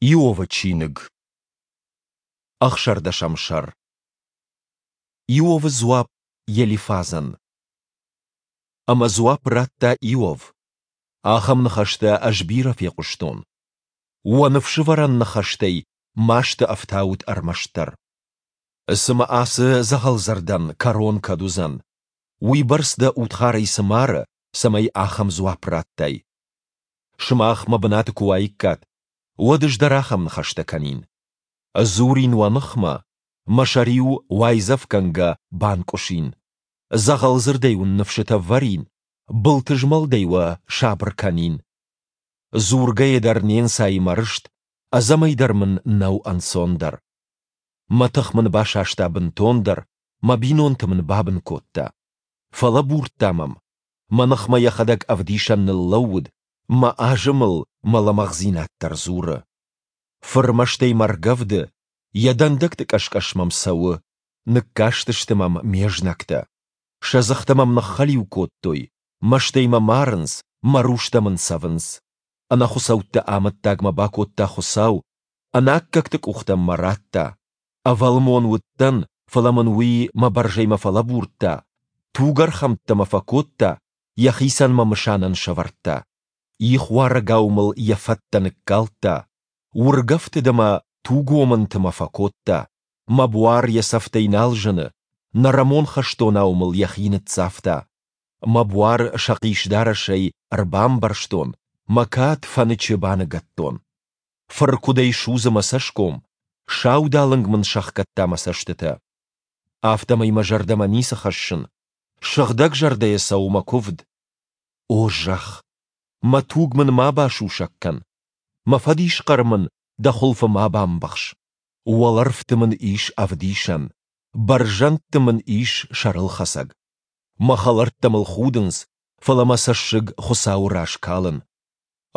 Иовы чиныг, ӕхсӕрдӕсӕм сӕр. Иовы дзуапп Елифазӕн. Ӕмӕ дзуапп радта Иов: Ахӕм ныхӕстӕ ӕз бирӕ фехъуыстон. Уӕ ныфсывӕрӕн ныхӕстӕй масты ӕфтаут ӕрмӕстдӕр. Цымӕ ацы дзӕгъӕлдзырдӕн кӕрон кӕд уыдзӕн? Уыйбӕрц дӕ удхарӕй цы мары, цӕмӕй ахӕм дзуапп радтай? Сымах мӕ бынаты куы уаиккат, уӕд ӕз дӕр ахӕм ныхӕстӕ кӕнин. Дзурин уӕ ныхмӕ, мӕ сӕр-иу уайдзӕфгӕнгӕ банкъуысин. Дзӕгъӕлдзырдӕй уын ныфсытӕ вӕрин, былтызмӕлдӕй уӕ сабыр кӕнин. Дзургӕйӕ дӕр не нцайы мӕ рыст, ӕдзӕмӕй дӕр мын нӕу ӕнцондӕр. Мӕ тых мын басаста бынтондӕр, мӕ бинонты мын бабын кодта. Фӕлӕбурдта мӕм, мӕ ныхмӕ йӕхӕдӕг ӕвдисӕн ныллӕууыд, мӕ азымыл мӕ лӕмӕгъдзинад дӕр дзуры. Фыр мӕстӕй мӕ ргӕвды, йӕ дӕндӕгты къӕс-къӕс мӕм цӕуы, ныккастысты мӕм ме знӕгтӕ. Сӕ дзыхтӕ мӕм ныххӕлиу кодтой, мӕстӕй мӕ марынц, мӕ рустӕ мын цӕвынц. Ӕнӕхуыцӕутты амӕттаг мӕ бакодта Хуыцау, ӕнаккӕгты къухтӕм мӕ радта. Ӕвӕлмон уыдтӕн, фӕлӕ мын уый мӕ бӕрзӕймӕ фӕлӕбурдта, тугӕрхӕмттӕ мӕ фӕкодта, йӕхицӕн мӕ мысанӕн сӕвӕрдта. Ихуарӕгау мыл йӕ фӕттӕ ныккалдта, уыргӕфтыд ӕмӕ тугомынты мӕ фӕкодта, мӕ буар йӕ цӕфтӕй нал зыны, нӕрӕмон хӕстонау мыл йӕхи ныццавта. Мӕ буар сӕхъис дарӕсӕй ӕрбамбӕрзтон, мӕ кад фӕнычы баныгӕдтон. Фыркуыдӕй судзы мӕ цӕсгом, саудалынг мын сӕхгӕдта мӕ цӕстытӕ. Афтӕмӕй мӕ зӕрдӕмӕ ницы хӕссын, сыгъдӕг зӕрдӕйӕ цӕуы мӕ куывд. О зӕхх, мӕ туг мын ма басусӕг кӕн, мӕ фӕдисхъӕр мын дӕ хуылфы ма бамбӕхс. Уӕлӕрвты мын ис ӕвдисӕн, бӕрзӕндты мын ис сӕрылхӕцӕг. Мӕ хӕлӕрттӕ мыл худынц, фӕлӕ мӕ цӕссыг Хуыцауы раз калын.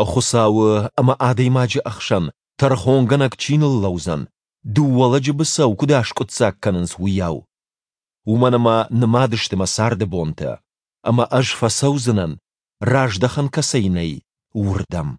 Хуыцауы ӕмӕ адӕймаджы ӕхсӕн тӕрхонгӕнӕг чи ныллӕудзӕн, дыууӕ лӕджы быцӕу куыд аскъуыддзаг кӕнынц, уыйау. Уымӕн ӕмӕ нымад сты мӕ царды бонтӕ, ӕмӕ ӕз фӕцӕудзынӕн, раздӕхӕн кӕцӕй нӕй, уырдӕм.